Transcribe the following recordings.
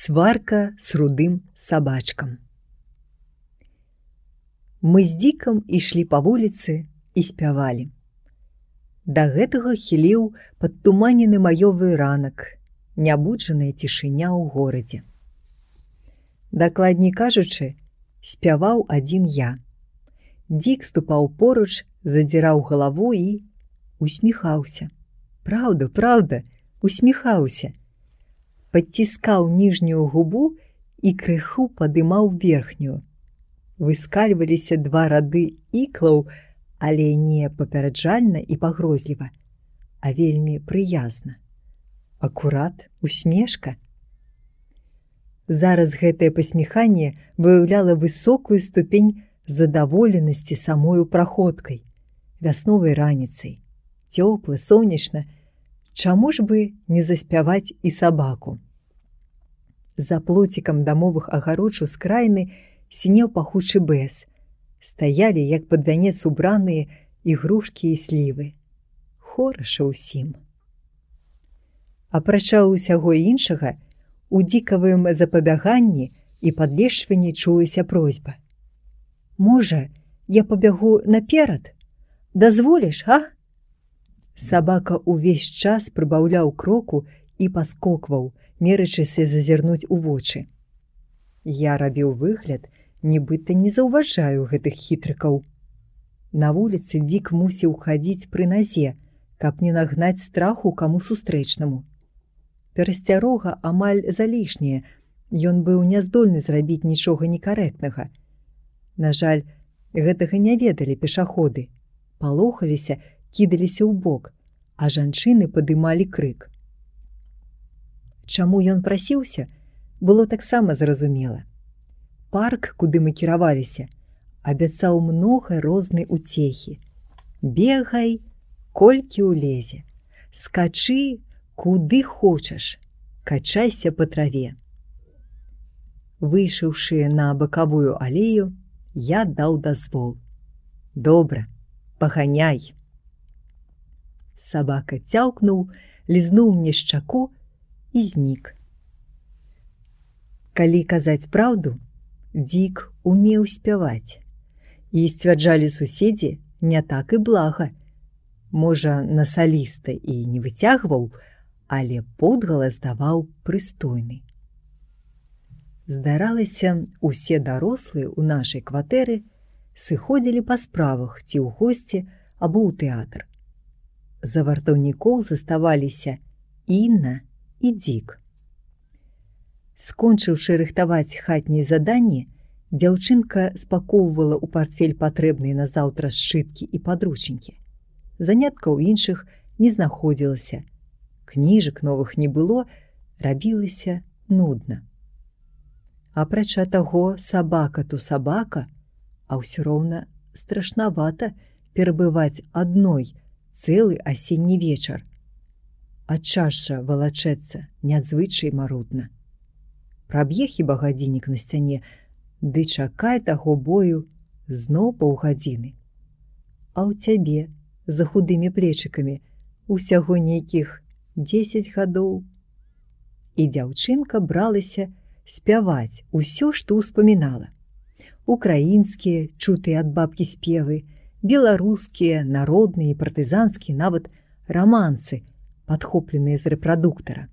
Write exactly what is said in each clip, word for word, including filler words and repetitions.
Сварка с рудым сабачкам. Мы з Дзікам ішлі па вуліцы і спявалі. Да гэтага хіліў падтуманены маёвы ранак, нябуджаная цішыня ў горадзе. Дакладней кажучы, спяваў адзін я. Дзік ступаў поруч, задзіраў галаву і усміхаўся. Праўда, праўда, усміхаўся. Падціскаў ніжнюю губу і крыху падымаў верхнюю. Выскальваліся два рады іклаў, але не папераджальна і пагрозліва, а вельмі прыязна. Акурат усмешка. Зараз гэтае пасміханне выяўляла высокую ступень задаволенасці самою праходкай, вясновай раніцай. Цёпла, сонечна, чаму ж бы не заспяваць і сабаку? За плоцікам дамовых агароч ускраіны сінеў пахучы бэс. Стаялі, як пад вянец убраныя ігрушкі і слівы. Хораша ўсім. Апрача ўсяго іншага, у дзікавым запабяганні і падлешванні чулася просьба. Можа, я пабягу наперад? Дазволіш, а? Сабака ўвесь час прыбаўляў кроку і паскокваў, мерачыся зазірнуць у вочы. Я рабіў выгляд, нібыта не заўважаю гэтых хітрыкаў. На вуліцы Дзік мусіў хадзіць пры назе, каб не нагнаць страху каму сустрэчнаму. Перасцярога амаль залішняе, ён быў няздольны зрабіць нічога некарэктнага. На жаль, гэтага не ведалі пешаходы. Палохаліся, кідаліся ў бок, а жанчыны падымалі крык. Чаму ён прасіўся, было таксама зразумела. Парк, куды мы кіраваліся, абяцаў многа рознай уцехі. Бегай, колькі ўлезе. Скачы, куды хочаш. Качайся па траве. Выйшаўшы на бакавую алею, я даў дазвол. Добра, паганяй. Сабака цяўкнуў, лізнуў мне шчаку і знік. Калі казаць праўду, Дзік умеў спяваць. І сцвярджалі суседзі, не так і блага. Можа, на саліста і не выцягваў, але подгалас даваў прыстойны. Здаралася, усе дарослыя ў нашай кватэры сыходзілі па справах ці ў госці або ў тэатр. За вартаўнікоў заставаліся Інна і Дзік. Скончыўшы рыхтаваць хатнія заданні, дзяўчынка спакоўвала ў партфель патрэбныя на заўтра сшыткі і падручнікі. Заняткаў іншых не знаходзілася. Кніжак новых не было, рабілася нудна. Апрача таго, сабака то сабака, а ўсё роўна страшнавата перабываць адной цэлы асенні вечар. А чаша валачэцца надзвычай марудна. Праб'е хіба гадзіннік на сцяне, ды чакай таго бою зноў паўгадзіны. А ў цябе, за худымі плечыкамі, усяго нейкіх дзесяць гадоў. І дзяўчынка бралася спяваць усё, што ўспамінала. Украінскія, чутыя ад бабкі спевы, беларускія, народныя і партызанскія, нават рамансы, падхопленыя з рэпрадуктара.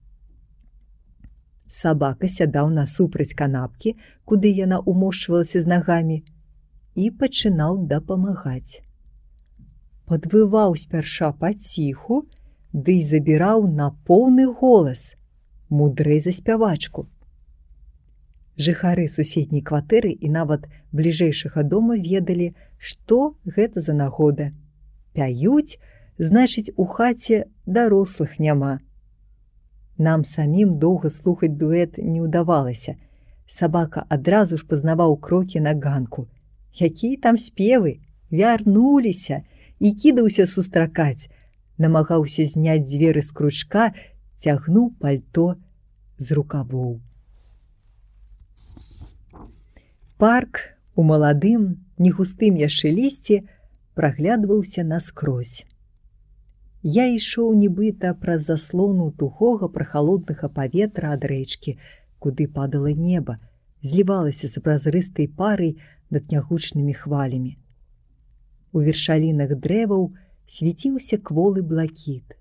Сабака сядаў насупраць канапкі, куды яна ўмошчвалася з нагамі, і пачынаў дапамагаць. Падвываў спярша паціху, ды і забіраў на поўны голас, мудрэй за спявачку. Жыхары суседняй кватэры і нават бліжэйшага дома ведалі, што гэта за нагода. Пяюць, значыць, у хаце дарослых няма. Нам самім доўга слухаць дуэт не ўдавалася. Сабака адразу ж пазнаваў крокі на ганку. Якія там спевы, вярнуліся, і кідаўся сустракаць. Намагаўся зняць дзверы з кручка, цягнуў пальто з рукавоў. Парк у маладым, негустым яшчэ лісці праглядваўся наскрозь. Я ішоў нібыта праз заслону тухога прахалоднага паветра ад рэчкі, куды падала неба, злівалася з празрыстай парай над нягучнымі хвалямі. У вершалінах дрэваў свяціўся кволы блакіт.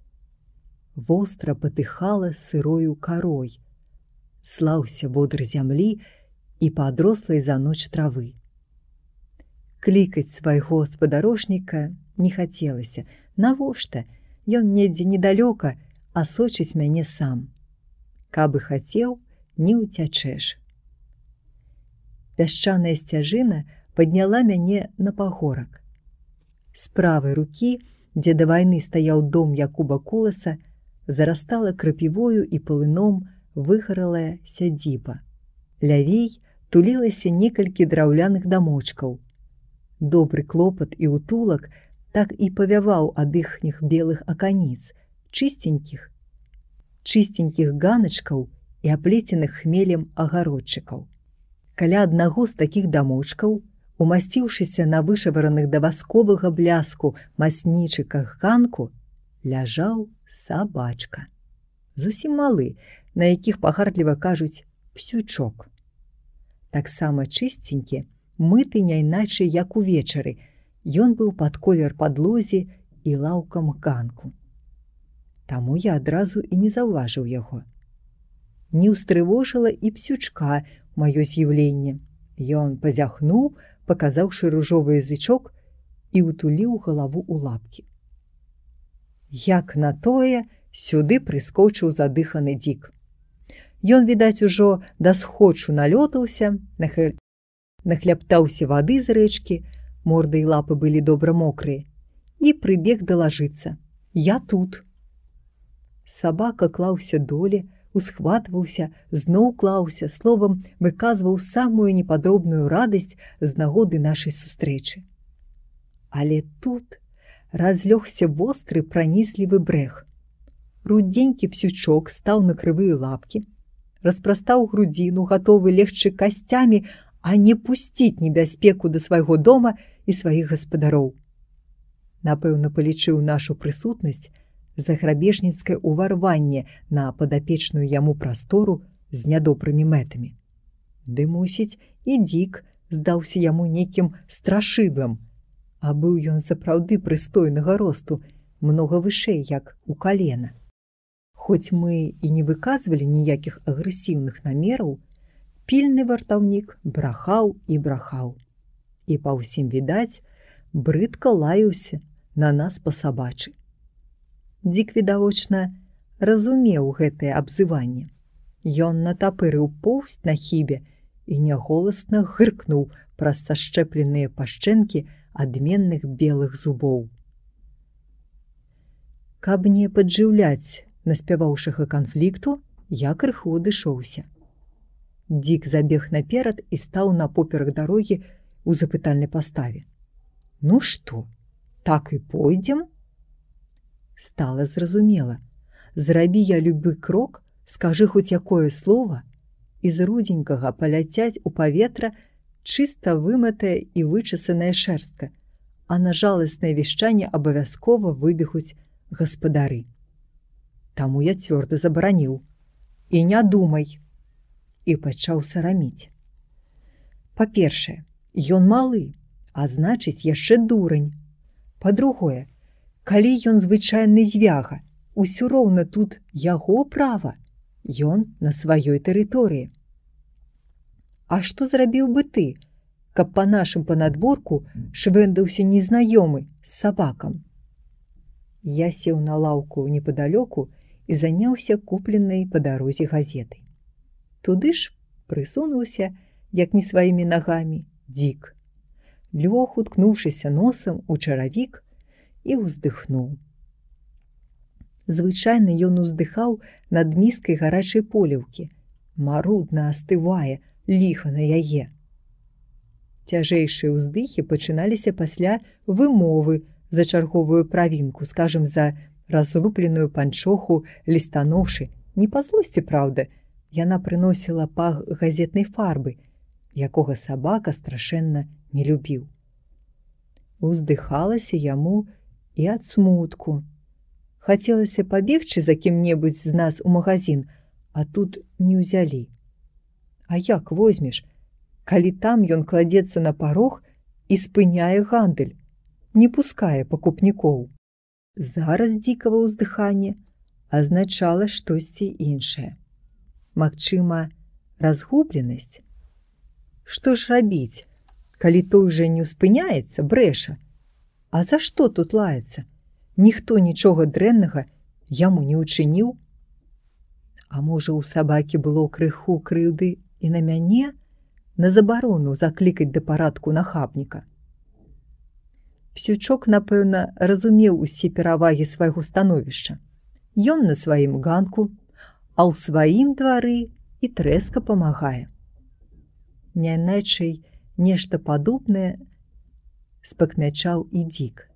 Востра патыхала сырою карой, слаўся водыр зямлі і падрослай за ноч травы. Клікаць свайго спадарожніка не хацелася. Навошта? Ён недзе недалёка, а сочыць мяне сам. Каб і хацеў, не ўцячэш. Пясчаная сцяжына падняла мяне на пагорак. З правай рукі, дзе да вайны стаяў дом Якуба Куласа, зарастала крапівою і палыном выгаралая сядзіба. Лявей тулілася некалькі драўляных дамочкаў. Добры клопат і утулак так і павяваў ад іхніх белых аканіц, чыстенькіх, чыстенькіх ганачкаў і аплеценых хмелем агародчыкаў. Каля аднаго з такіх дамочкаў, умасціўшыся на вышавараных да васковага бляску маснічыках ганку, ляжаў сабачка. Зусім малы, на якіх пагардліва кажуць псючок. Таксама чыстенькі, мыты няйначай, як увечары, ён быў пад колер падлозе і лаўкам ганку. Таму я адразу і не заўважыў яго. Не ўстрывожыла і псючка маё з'яўленне. Ён пазяхнуў, паказаўшы ружовы язычок, і ўтуліў галаву ў лапкі. Як на тое, сюды прыскочыў задыханы дзік. Ён, відаць, ужо да схочу налётаўся, нахля... нахляптаўся вады з рэчкі, морда і лапы былі добра мокрыя, і прыбег далажыцца. Я тут. Сабака клаўся доле, усхватваўся, зноў клаўся, словам, выказваў самую непадробную радасць з нагоды нашай сустрэчы. Але тут разлёгся востры пранізлівы брэх. Рудзенькі псючок стаў на крывыя лапкі, распрастаў грудзіну, гатовы легчы касцямі, а не пусціць небяспеку да свайго дома і сваіх гаспадароў. Напэўна, палічыў нашу прысутнасць за грабежніцкае ўварванне на падапечную яму прастору з нядобрымі мэтамі. Ды, мусіць, і дзік здаўся яму нейкім страшывым, а быў ён сапраўды прыстойнага росту, многа вышэй, як у калена. Хоць мы і не выказвалі ніякіх агрэсіўных намераў, пільны вартаўнік брахаў і брахаў. І па ўсім відаць, брыдка лаяўся на нас па-сабачы. Дзік, відавочна, разумеў гэтае абзыванне. Ён натапырыў поўсць на хібе і няголасна гыркнуў праз сашчэпленыя пашчэнкі адменных белых зубоў. Каб не паджыўляць наспяваўшага канфлікту, я крыху адышоўся. Дзік забег наперад і стаў напоперак дарогі ў запытальнай паставе. Ну што, так і пойдзем? Стала зразумела. Зрабі я любы крок, скажы хоць якое слова, і з рудзенькага паляцяць у паветра чыста вымытая і вычасаная шэрстка, а на жаласнае вішчанне абавязкова выбегуць гаспадары. Таму я цвёрда забараніў. І не думай. І пачаў сараміць. Па-першае, ён малы, а значыць, яшчэ дурань. Па-другое, калі ён звычайны звяга, усё роўна тут яго права, ён на сваёй тэрыторыі. А што зрабіў бы ты, каб па нашым панадворку швэндаўся незнаёмы з сабакам? Я сеў на лаўку непадалёку і заняўся купленай па дарозе газетай. Туды ж прысунуўся, як не сваімі нагамі, дзік. Лёг, уткнуўшыся носам у чаравік, і ўздыхнуў. Звычайна ён уздыхаў над міскай гарачай поліўкі. Марудна астывае, ліха на яе. Цяжэйшыя ўздыхі пачыналіся пасля вымовы за чарговую правінку, скажам, за разлупленую панчоху лістаноўшы. Не па злосці, праўда, яна прыносіла пах газетнай фарбы, якога сабака страшэнна не любіў. Уздыхалася яму і ад смутку. Хацелася пабегчы за кім-небудзь з нас у магазін, а тут не ўзялі. А як возьмеш, калі там ён кладзецца на парог і спыняе гандаль, не пускае пакупнікоў? Зараз дзікава ўздыханне азначала штосьці іншае. Магчыма, разгубленасць? Што ж рабіць, калі той жа не спыняецца, брэша? А за што тут лаецца? Ніхто нічога дрэннага яму не ўчыніў? А можа, у сабакі было крыху крыўды і на мяне, на забарону заклікаць да парадку нахабніка? Псючок, напэўна, разумеў усе перавагі свайго становішча. Ён на сваім ганку, а ў сваім двары і трэска памагае. Няйначай нешта падобнае спакмячаў і дзік.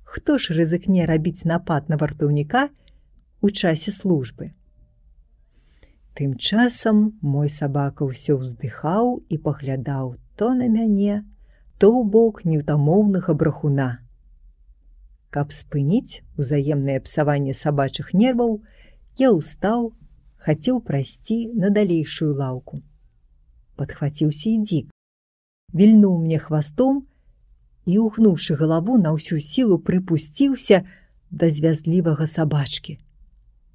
Хто ж рызыкне рабіць напад на вартаўніка у часе службы? Тым часам мой сабака ўсё ўздыхаў і паглядаў то на мяне, то ў бок неўтамоўнага брахуна. Каб спыніць узаемнае псаванне сабачых нерваў, я ўстаў, хацеў прайсці на далейшую лаўку. Падхваціўся і дзік, вільнуў мне хвастом і, угнуўшы галаву, на ўсю сілу прыпусціўся да звязлівага сабачкі.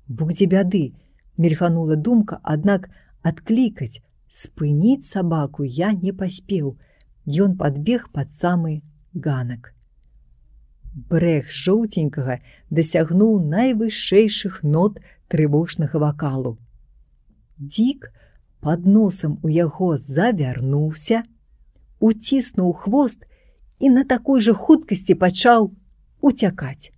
Будзе бяды, мільганула думка, аднак адклікаць, спыніць сабаку я не паспеў. Ён падбег пад самы ганак. Брэх жоўценькага дасягнуў найвышэйшых нот трывожнага вакалу. Дзік пад носам у яго завярнуўся, уціснуў хвост і на такой жа хуткасці пачаў уцякаць.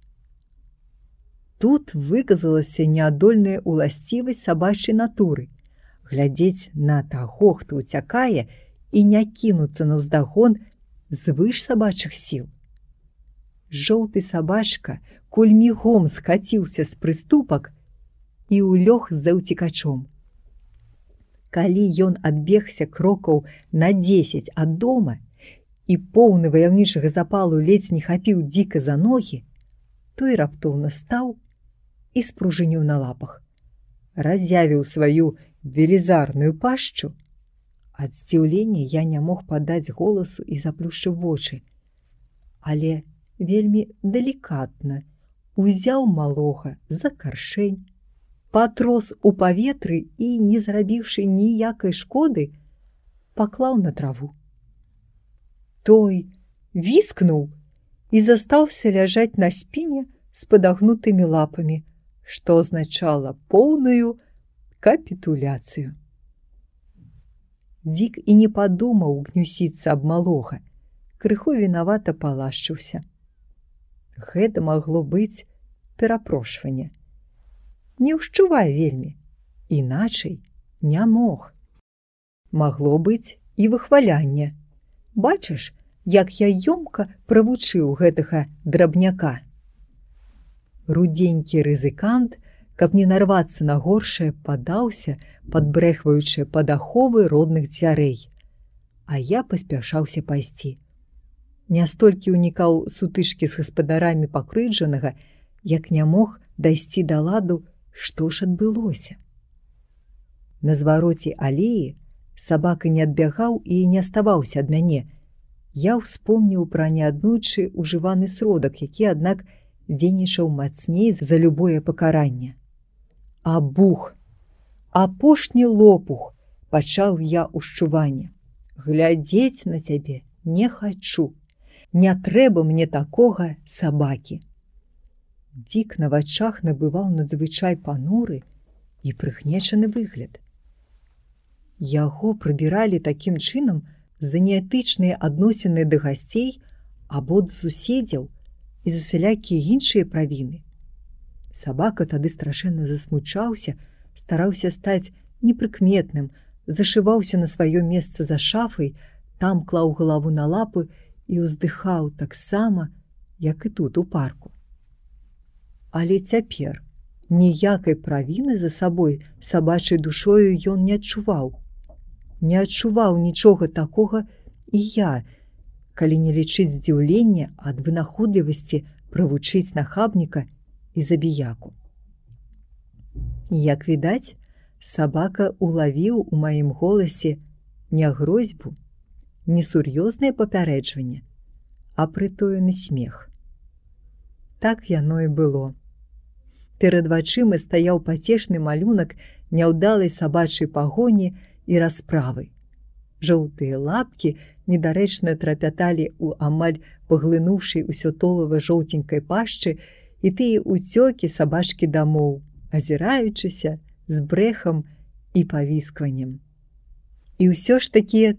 Тут выказалася неадольная ўласцівасць сабачай натуры — глядзець на таго, хто ўцякае, і не кінуцца наўздагон звыш сабачых сіл. Жоўты сабачка кульмігом скаціўся з прыступак і ўлёг за ўцекачом. Калі ён адбегся крокаў на дзесяць ад дома і поўны ваяўнічага запалу ледзь не хапіў дзіка за ногі, той раптоўна стаў і спружыніў на лапах, разявіў сваю велізарную пашчу. Ад здзіўлення я не мог падаць голасу і заплюшчыў вочы, але вельмі далікатна узяў малога за каршэнь, патрос у паветры і, не зрабіўшы ніякай шкоды, паклаў на траву. Той віскнуў і застаўся ляжаць на спіне з падагнутымі лапамі, што азначала поўную капітуляцыю. Дзік і не падумаў гнюсіцца аб малога, крыху вінавата палашчыўся. Гэта магло быць перапрошванне. Не ўшчувай вельмі, іначай не мог. Магло быць і выхвалянне. Бачыш, як я ёмка правучыў гэтага драбняка. Рудзенькі рызыкант, каб не нарвацца на горшае, падаўся, падбрэхваючы пад аховы родных дзвярэй. А я паспяшаўся пайсці. Не столькі ўнікаў сутычкі з гаспадарамі пакрыўджанага, як не мог дайсці да ладу, што ж адбылося. На звароце алеі сабака не адбягаў і не аставаўся ад мяне. Я ўспомніў пра неаднойчы ўжываны сродак, які, аднак, дзейнічаў мацней за любое пакаранне. А бух, апошні лопух, пачаў я ушчуванне. Глядзець на цябе не хачу. Не трэба мне такога сабакі. Дзік на вачах набываў надзвычай пануры і прыгнечаны выгляд. Яго прыбіралі такім чынам за неэтычныя адносіны да гасцей або да суседзяў і за усялякія іншыя правіны. Сабака тады страшэнна засмучаўся, стараўся стаць непрыкметным, зашываўся на сваё месца за шафай, там клаў галаву на лапы і ўздыхаў таксама, як і тут у парку. Але цяпер ніякай правіны за сабой сабачай душою ён не адчуваў. Не адчуваў нічога такога і я, калі не лічыць здзіўлення ад вынаходлівасці правучыць нахабніка і забіяку. Як відаць, Сабака улавіў у маім голасе не грозьбу, не сур'ёзнае папярэджванне, а прытоены смех. Так яно і было. Перад вачыма стаяў пацешны малюнак няўдалай сабачай пагоні і расправы. Жоўтыя лапкі недарэчна трапяталі ў амаль паглынуўшай усё толава жоўценькай пашчы і тыя ўцёкі сабачкі дамоў, азіраючыся з брэхам і павіскваннем. І ўсё ж такі...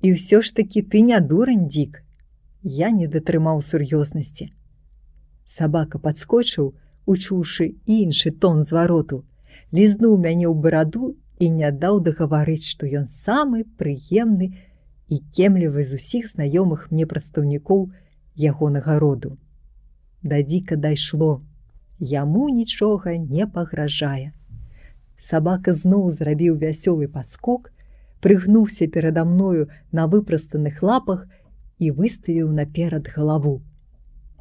І ўсё ж такі ты не дурань, Дік. Я не датрымаў сур'ёзнасці. Сабака падскочыў, учуўшы іншы тон звароту, лізнуў мяне ў бараду і не даў дагаварыць, што ён самы прыемны і кемлівы з усіх знаёмых мне прадстаўнікоў ягонага роду. Да Дзіка дайшло. Яму нічога не пагражае. Сабака зноў зрабіў вясёлы падскок, прыгнуўся перада мною на выпрастаных лапах і выставіў наперад галаву.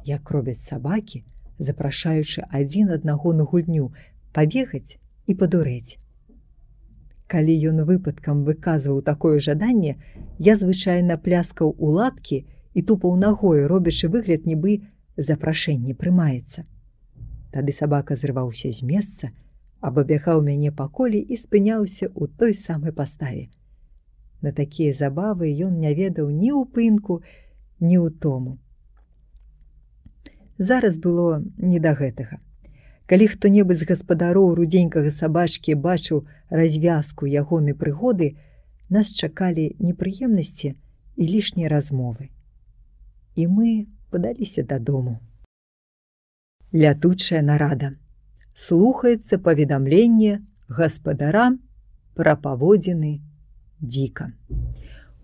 Як робяць сабакі, запрашаючы адзін аднаго на гульню, пабегаць і падурэць. Калі ён выпадкам выказваў такое жаданне, я звычайна пляскаў у ладкі і тупаў нагой, робячы выгляд, нібы запрашэнне прымаецца. Тады сабака зрываўся з месца, абабягаў мяне па коле і спыняўся ў той самай паставе. На такія забавы ён не ведаў ні ўпынку, ні ўтому. Зараз было не да гэтага. Калі хто-небудзь з гаспадароў рудзенькага сабачкі бачыў развязку ягонай прыгоды, нас чакалі непрыемнасці і лішнія размовы. І мы падаліся дадому. Лятучая нарада. Слухаецца паведамленне гаспадара пра паводзіны Дзіка.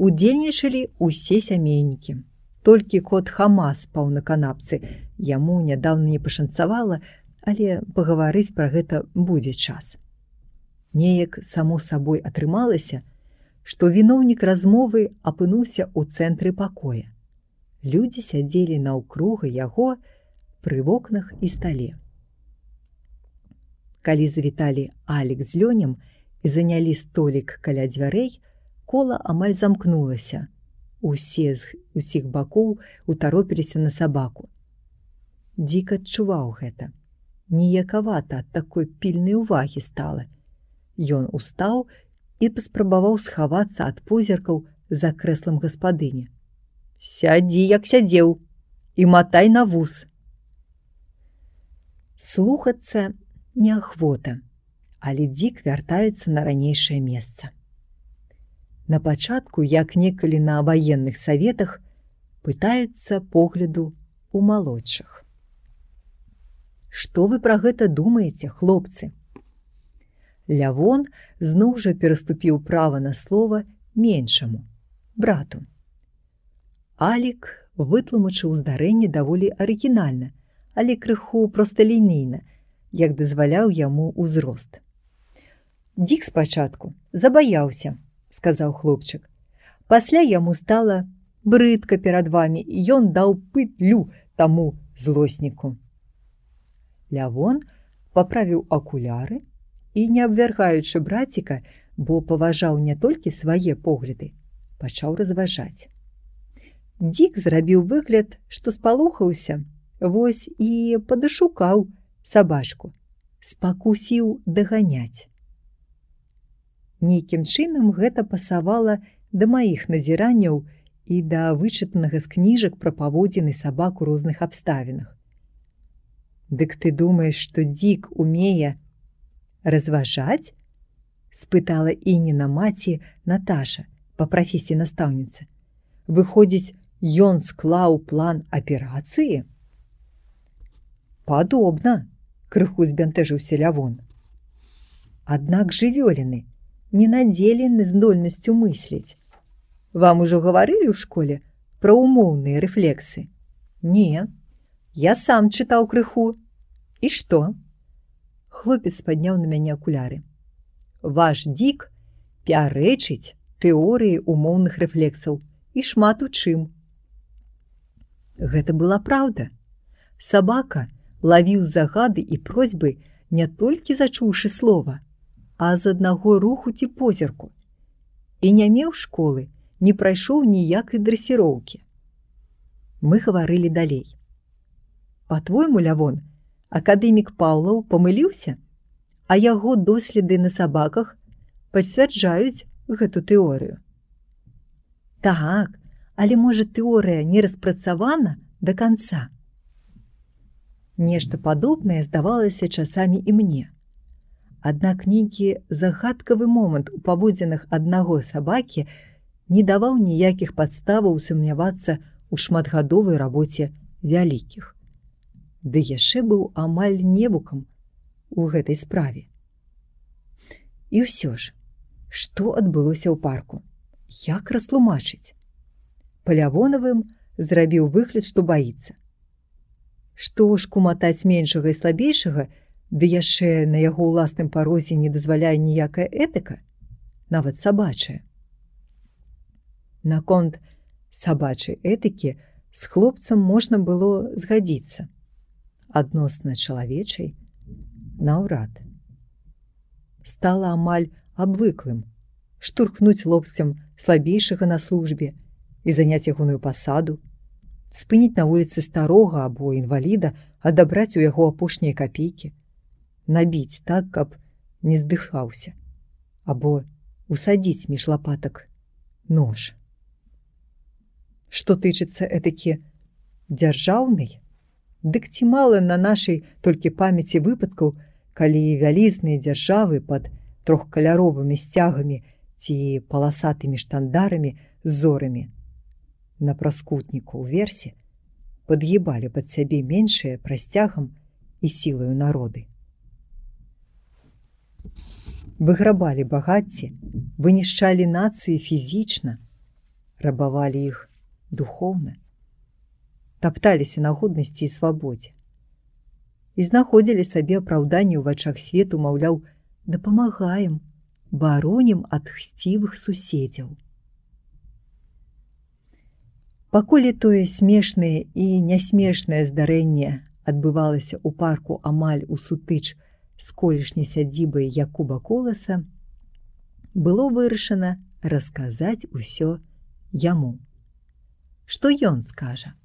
Удзельнічалі ўсе сямейнікі. Толькі кот Хама спаў на канапцы. Яму нядаўна не пашанцавала, але пагаварыць пра гэта будзе час. Неяк само сабой атрымалася, што віноўнік размовы апынуўся ў цэнтры пакоя. Людзі сядзелі наўкруг яго пры вокнах і стале. Калі завіталі Алік з Лёнем і занялі столік каля дзвярэй, кола амаль замкнулася. Усе з усіх бакоў утаропіліся на сабаку. Дзік адчуваў гэта. Ніякавата ад такой пільнай увагі стала. Ён устаў і паспрабаваў схавацца ад позіркаў за крэслам гаспадыні. «Сядзі, як сядзеў, і матай на вус». Слухацца неахвота, але Дзік вяртаецца на ранейшае месца. На пачатку, як некалі на ваенных саветах, пытаюцца погляду у малодшых. Што вы пра гэта думаеце, хлопцы? Лявон зноў жа пераступіў права на слова меншаму, брату. Алік вытлумачыў здарэнне даволі арыгінальна, але крыху просталінейна, як дазваляў яму ўзрост. «Дзік спачатку забаяўся», — сказаў хлопчык. «Пасля яму стала брыдка перад вамі, і ён даў пытлю таму злосніку». Лявон паправіў акуляры і, не абвяргаючы браціка, бо паважаў не толькі свае погляды, пачаў разважаць. Дзік зрабіў выгляд, што спалохаўся, вось і падашукаў сабачку, спакусіў даганяць. Нейкім чынам гэта пасавала да маіх назіранняў і да вычытанага з кніжак пра паводзіны сабак у розных абставінах. «Дык ты думаеш, што Дзік умее разважаць?» — спытала Ініна маці Наташа, па прафесіі настаўніца. «Выходзіць, ён склаў план аперацыі?» «Падобна», — крыху збянтэжыўся Лявон. «Аднак жывёліны не надзелены здольнасцю мысліць. Вам ужо гаварылі ў школе пра умоўныя рэфлексы?» «Не, я сам чытаў крыху». «І што?» Хлопец падняў на мяне акуляры. «Ваш Дзік пярэчыць тэорыі умоўных рэфлексаў і шмат у чым». Гэта была праўда. Сабака лавіў загады і просьбы не толькі зачуўшы слова, а з аднаго руху ці позірку. І не меў школы, не прайшоў ніякай дрэсіроўкі. Мы гаварылі далей. Па-твойму, Лявон, акадэмік Паўлаў памыліўся, а яго доследы на сабаках пацвярджаюць гэту тэорыю. Так, але можа тэорыя не распрацавана да канца. Нешта падобнае здавалася часамі і мне. Аднак нейкі загадкавы момант у паводзінах аднаго сабакі не даваў ніякіх падставаў сумнявацца ў шматгадовай рабоце вялікіх. Ды яшчэ быў амаль невукам у гэтай справе. І ўсё ж, што адбылося ў парку? Як растлумачыць? Па Лявонавым зрабіў выгляд, што баіцца. Што ж куматаць меншага і слабейшага, ды яшчэ на яго ўласным парозе не дазваляе ніякая этыка, нават сабачая. Наконт сабачай этыкі з хлопцам можна было згадзіцца. Адносна чалавечай наўрад. Стала амаль абвыклым штурхнуць локцем слабейшага на службе і заняць ягоную пасаду, спыніць на вуліцы старога або інваліда, адабраць у яго апошнія капейкі, набіць так, каб не здыхаўся, або усадзіць між лапатак нож. Што тычыцца этыкі дзяржаўнай, дык ці мала на нашай толькі памяці выпадкаў, калі вялізныя дзяржавы пад трохкаляровымі сцягамі ці паласатымі штандарамі з зорамі на праскутніку ўверсе падгібалі пад сябе меншыя прасцягам і сілаю народы. Выграбалі багацці, вынішчалі нацыі фізічна, рабавалі іх духоўна, тапталіся на годнасці і свабодзе і знаходзілі сабе апраўданне ў вачах свету, маўляў, дапамагаем, баронім ад хсцівых суседзяў. Пакуль тое смешнае і нясмешнае здарэнне адбывалася ў парку амаль у сутыч з колішняй сядзібай Якуба Коласа, было вырашана расказаць усё яму. Што ён скажа?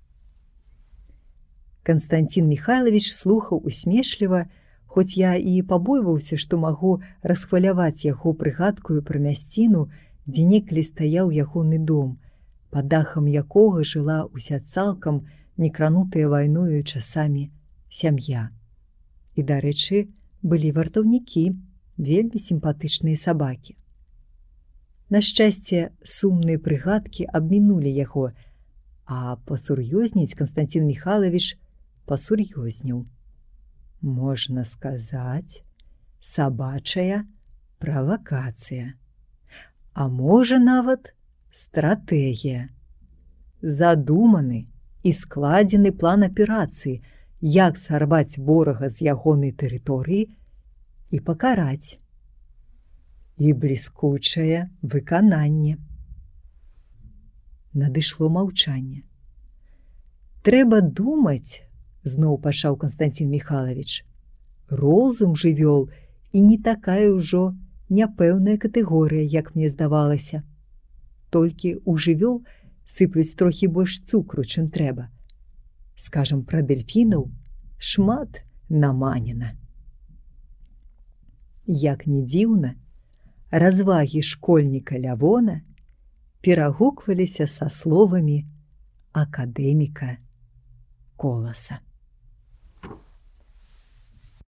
Канстанцін Міхайлавіч слухаў усмешліва, хоць я і пабойваўся, што магу расхваляваць яго прыгадкую пра мясціну, дзе некалі стаяў ягоны дом, пад дахам якога жыла ўся цалкам некранутая вайною часамі сям'я. І, дарэчы, былі вартаўнікі, вельмі сімпатычныя сабакі. На шчасце, сумныя прыгадкі абмінулі яго, а пасур'ёзніць Канстанцін Міхайлавіч пасур'ёзніў. Можна сказаць, сабачая правакацыя, а можа нават стратэгія. Задуманы і складзены план аперацыі, як сарваць ворага з ягонай тэрыторыі і пакараць. І бліскучае выкананне. Надышло маўчанне. Трэба думаць, зноў пачаў Канстанцін Міхайлавіч. Розум жывёл і не такая ўжо няпэўная катэгорыя, як мне здавалася. Толькі ў жывёл сыплюць трохі больш цукру, чым трэба. Скажам, пра дэльфінаў шмат наманена. Як ні дзіўна, развагі школьніка Лявона перагукваліся са словамі акадэміка Коласа.